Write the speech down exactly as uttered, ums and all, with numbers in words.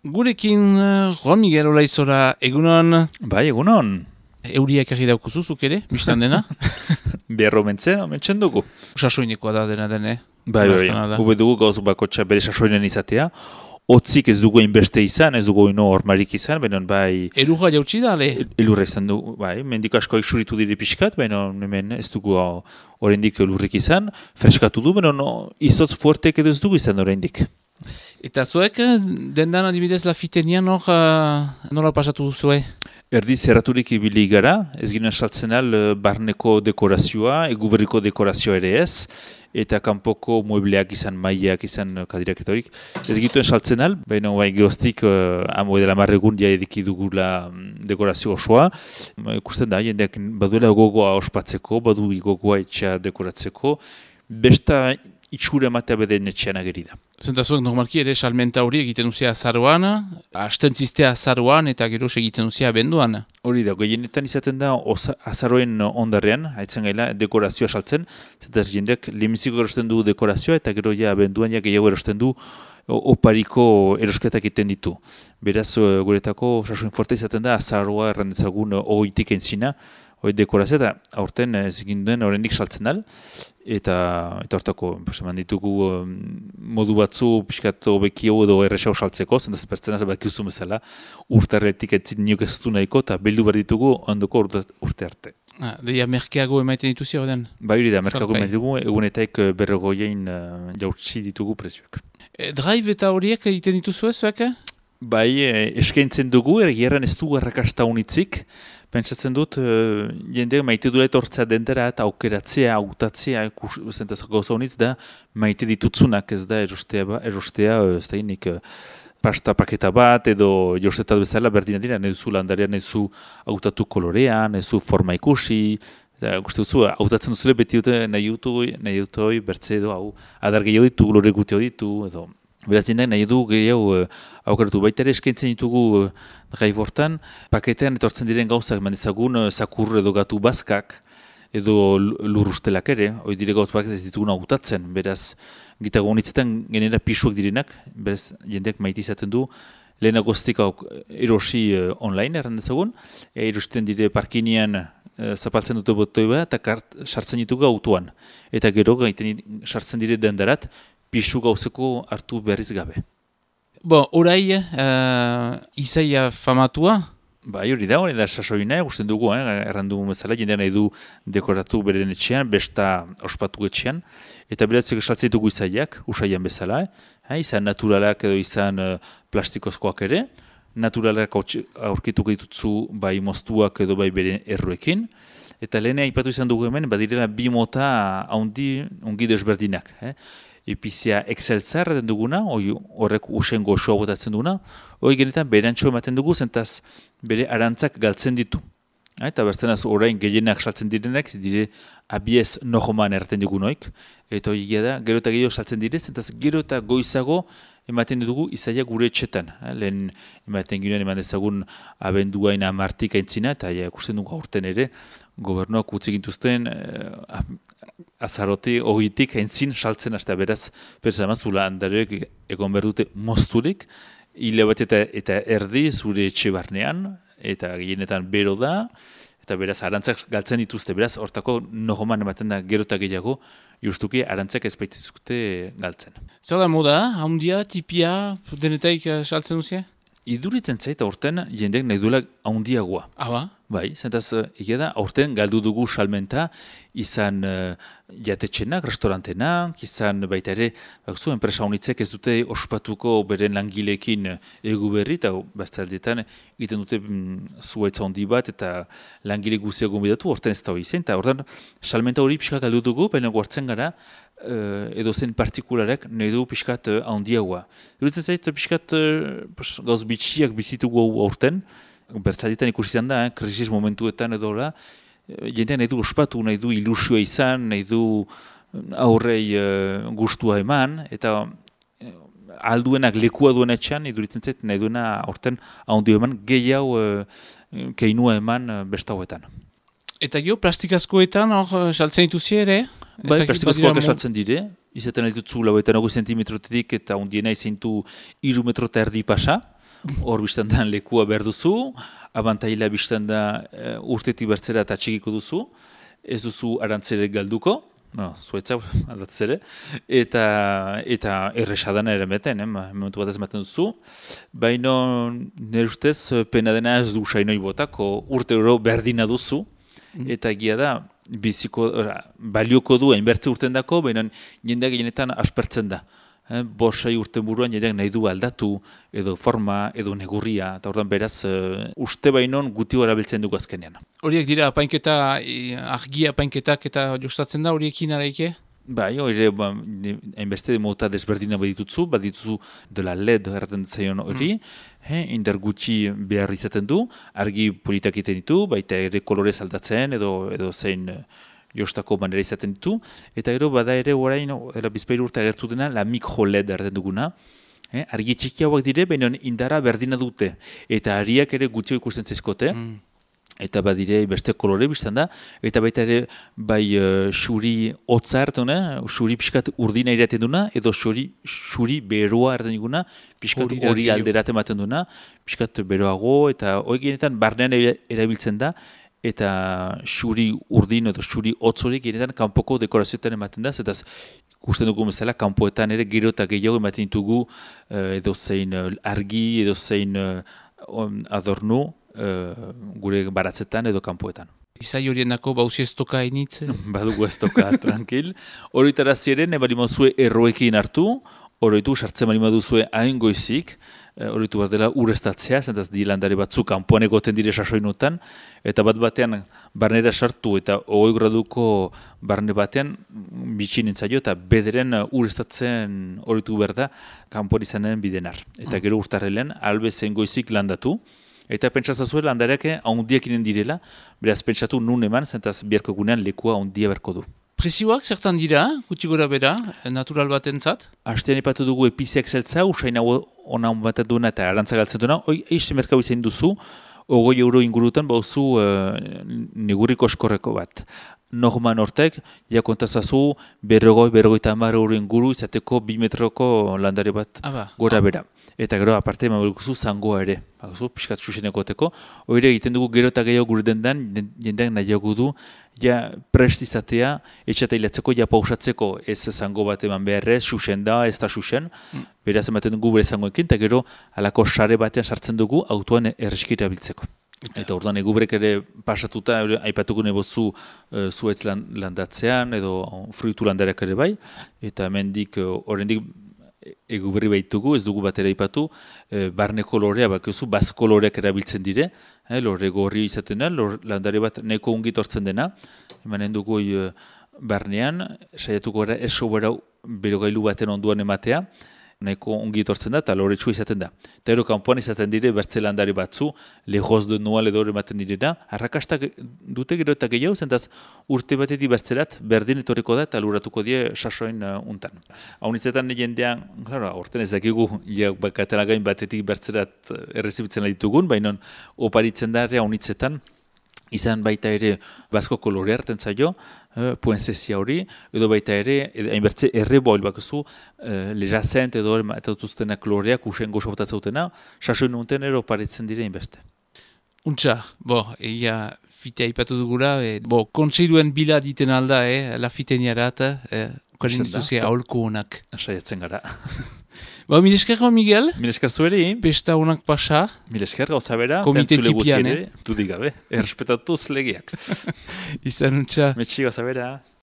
Gurekin, uh, Juan Miguel Olaizora, egunon? Bai, egunon. Euriak erri daukuzuzuk ere, biztan dena? Berro mentzen, mentzen dugu. Sasoinekoa da dena dene. Bai, bai, hube dugu gauz bakotxa bere sasoinen izatea. Otzik ez dugu inbeste izan, ez dugu ino ormarik izan, benon bai... Elurra jautsi da, le? Elurra izan dugu, bai, mendiko asko eksuritu dire pixkat, benon hemen ez dugu oraindik elurrik izan, freskatu du, benon izotz fuertek edo ez dugu izan oraindik. Eta zuek, dendan adibidez lafitenian hor, uh, nola pasatu duzue? Erdi zerraturik ibili gara, ez ginen saltzen al barneko dekorazioa, eguberriko dekorazioa ere ez, eta kanpoko muebleak izan, maileak izan kadiraketorik. Ez gituen saltzen al, baina bai gehoztik, uh, amo edela marregun dia ediki dugula dekorazio osoa. Ikusten da, jendeak baduela gogoa ospatzeko, badu gogoa etxea dekoratzeko, besta itxura ematea beden etxean ageri da. Zentazuek normalki ere salmenta hori egiten duzia azaroan, astentzistea azaroan eta gero egiten duzia abenduan. Hori da, gehienetan izaten da oza, azaroen ondarrean, haitzen gaila dekorazioa saltzen, zentaz jendeak lemiziko erosten du dekorazioa eta gero ja abenduan ja gehiago erosten du opariko erosketak egiten ditu. Beraz, guretako sasoin forte izaten da azaroa errandezagun oitik entzina, hori dekorazioa eta aurten ez ginduen horrendik saltzen dal. Eta eta hortako, eman ditugu um, modu batzu pixkat hobekio edo errexau saltzeko, zentaz pertsena zabakiuzun bezala, urtarretik etzit niok ez du nahiko, eta bildu behar ditugu ondoko urte, urte arte. Ah, deia merkeago emaiten dituzi horren? Bai hori da, merkeago emaiten ditugu, egunetaik berrogoiein uh, jautsi ditugu prezioak. E, drive eta horiek egiten dituzu ez, zuek? Bai, eh, eskaintzen dugu, ergieran ez du errakasta unitzik. Pentsatzen dut, uh, jende maite dula etortzea dendera eta aukeratzea, autatzea, zentaz gauza honitz da, maite ditutzunak ez da erostea, ba, erostea ez da inik, uh, pasta paketa bat edo jostetat bezala berdina dira, nezu landaria, nezu autatu kolorea, nezu forma ikusi, eta guzti dutzu, autatzen duzule beti dute nahi dutu, nahi dutoi, bertze edo, hau, adar gehiago ditu, lore gutio ditu, edo... Beraz jendeak nahi du gehiago uh, aukeratu. Baita ere eskaintzen ditugu uh, gai bortan, paketean etortzen diren gauzak, mandezagun uh, zakur edo gatu bazkak, edo lur ustelak ere, hori dire gauz bak ez ditugun hautatzen. Beraz, gitago honitzetan genera pisuak direnak, beraz jendeak maite izaten du, lehenak goztik erosi uh, online errandezagun, e, erosten dire parkinean uh, zapaltzen dute botoi bat, eta kart sartzen ditugu autoan. Eta gero gaiten sartzen dire dendarat, pisu gauzeko hartu berriz gabe. Bon, orai, uh, izaia famatua? Bai, hori da, hori da sasoina, gusten dugu, eh, errandu bezala, jendean nahi du dekoratu beren etxean, besta ospatu etxean, eta beratzeko saltzen ditugu izaiak, usaian bezala, eh, izan naturalak edo izan uh, plastikozkoak ere, naturalak aurkituko ditutzu bai moztuak edo bai beren erruekin, eta lehene aipatu izan dugu hemen, badirela bi mota haundi ongi desberdinak, eh. Epizia exceltzar den duguna, horrek usen goxoa botatzen duguna, hori genetan berantxo ematen dugu, zentaz bere arantzak galtzen ditu. Eta bertzenaz orain gehienak saltzen direnak, dire abiez nohoman erraten dugu noik, eta hori da, gero eta gehiago saltzen dire, zentaz gero eta goizago ematen dugu izaia gure etxetan. Lehen ematen ginen eman dezagun abenduain amartik aintzina, eta ikusten dugu aurten ere, gobernuak utzi gintuzten eh, azarote hogitik aintzin saltzen hasta beraz, beraz amazula handareek egon behar dute mozturik, hile bat eta, eta erdi zure etxe barnean, eta gehienetan bero da, eta beraz arantzak galtzen dituzte, beraz hortako nohoman ematen da gero eta gehiago, justuki arantzak ez baitizukte galtzen. Zer da moda, haundia, tipia, denetaik uh, saltzen duzia? Iduritzen zait aurten jendeak nahi duela haundiagoa. Ah, ba? Bai, zentaz, egia da, aurten galdu dugu salmenta, izan uh, jatetxenak, restaurantenak, izan baita ere, bakzu, enpresa honitzek ez dute ospatuko beren langilekin egu berri, eta bertzaldetan egiten dute mm, zuaitza handi bat, eta langile guzia gombidatu, aurten ez da hori zen, eta aurten salmenta hori pixka galdu dugu, baina guartzen gara, Uh, edo zen partikularek nahi du pixkat uh, handiagoa. Duritzen zait, pixkat uh, gauz bitxiak bizitugu aurten, bertzaldetan ikusi izan da, eh, krisis momentuetan edo da, jendean nahi du ospatu, nahi du ilusioa izan, nahi du aurrei uh, gustua eman, eta uh, alduenak lekua duen etxean, iduritzen zait, nahi duena aurten handio eman, gehiago uh, keinua eman uh, bestauetan. Eta gero, plastikazkoetan hor saltzen dituzi ere? Bai, plastikazkoak esaltzen dire, izaten ditutzu lauetan hogei zentimetrotetik eta ondiena izintu iru metro eta erdi pasa, hor biztandan lekua behar duzu, abantaila biztanda uh, urtetik bertzera eta txikiko duzu, ez duzu arantzere galduko, no, zuetza aldatzere, eta, eta erresadana ere beten, eh, momentu bat ez maten duzu, baina nire ustez pena dena ez du sainoi botako urte euro berdina duzu, eta egia da, biziko, ora, balioko du, hainbertze urten dako, baina jendeak genetan aspertzen da. Eh, Bosai urten buruan jendeak nahi du aldatu, edo forma, edo negurria, eta ordan beraz, uh, uste bainon guti hori abiltzen dugu azkenean. Horiek dira, apainketa, e, argia apainketak eta jostatzen da horiekin araike? Bai, hori, ba, hainbeste mota desberdina badituzu, badituzu dela L E D erraten zaion hori, mm. eh, indar gutxi behar izaten du, argi politak egiten ditu, baita ere kolorez aldatzen, edo, edo zein jostako manera izaten ditu, eta gero bada ere orain, era bizpairu urte agertu dena, la micro L E D erraten duguna, eh, argi txikiagoak dire, baina indara berdina dute, eta ariak ere gutxio ikusten zaizkote, mm. eta badire beste kolore biztan da, eta baita ere bai uh, xuri hotza hartuna, xuri pixkat urdina iraten duna, edo xuri, xuri beroa hartzen diguna, pixkat hori alderaten ematen duna, pixkat beroago, eta hori genetan barnean erabiltzen da, eta xuri urdin edo xuri hotzorik genetan kanpoko dekorazioetan ematen da, eta ikusten dugu bezala, kanpoetan ere gero eta gehiago ematen ditugu uh, edo zein uh, argi, edo zein uh, adornu, Uh, gure baratzetan edo kanpoetan. Izai horien dako bauzi ez toka hainitz? Badugu ez toka, tranquil. Horretara ziren, ebali mazue erroekin hartu, horretu sartzen bali maduzue hain goizik, horretu bat dela urestatzea, zentaz di landare batzuk kanpoan egoten dire sasoinutan, eta bat batean barnera sartu eta hogei graduko barne batean bitxin entzaio eta bederen urestatzen horretu behar da kanpoan izanen bidenar. Eta gero urtarrelen, albe zen goizik landatu, eta pentsatzazuela landareak haundiak inen direla, beraz pentsatu nun eman, zentaz biharko gunean lekua haundia berko du. Prezioak zertan dira, gutxi gora bera, natural batentzat? Hastean ipatu dugu epiziak zeltza, usain hau ona baten duena eta arantza galtzen duena, hoi eixe merkau izan duzu, ogoi euro ingurutan bauzu uh, neguriko eskorreko bat. Norman hortek, ja kontazazu, berrogoi, berrogoi eta hamar euro inguru izateko bi metroko landare bat Aba. gora bera. Eta gero, aparte, emabilkuzu zangoa ere. Bakuzu, piskat xuxenekoteko. Hore egiten dugu gero eta gehiago gure dendan, jendeak nahiago du, ja prest izatea, etxata hilatzeko, ja pausatzeko ez zango bat eman beharrez, xuxen da, ez da xuxen. Mm. Beraz ematen dugu bere zangoekin, eta gero, alako sare batean sartzen dugu, autoan erreskira biltzeko. Eta, eta orduan egubrek ere pasatuta, aipatuko nebozu uh, zuetz landatzean, edo fruitu landareak ere bai, eta hemendik horrendik, egu berri baitugu, ez dugu batera ipatu, e, barne kolorea, bakizu, baz koloreak erabiltzen dire, e, lorre gorri izaten da, lor, landare bat neko ungit hortzen dena, emanen dugu e, barnean, saiatuko gara eso bera berogailu baten onduan ematea, nahiko ongi etortzen da eta loretsu izaten da. Eta ero kanpoan izaten dire bertze landari batzu, lehoz de nual edo ematen direna, arrakastak dute gero eta gehiago, zentaz urte batetik bertzerat berdin etorriko da eta luratuko die sasoin uh, untan. Haunitzetan jendean, claro, aurten ez dakigu, ja, katalagain batetik bertzerat errezibitzen ditugun, baina oparitzen da haunitzetan, izan baita ere bazko kolore hartzen zaio, uh, puenzezia hori, edo baita ere, hainbertze erre boil bakuzu, uh, lejazent edo eta dutuztenak koloreak usen gozo botatzautena, sasoin unten ero paritzen dire inbeste. Untxa, bo, egia fitea ipatu dugula, e, bo, kontseiluen bila diten alda, eh, la fiteniarat, eh, ukarin dituzia aholko honak. Saiatzen gara. Ba, mil esker, Miguel? Mil esker zueri. Pesta honak pasa. Mil esker, gauza bera. Komite tipian, eh? Dudik gabe, errespetatuz legeak. Izan untxa. Metxi gauza bera.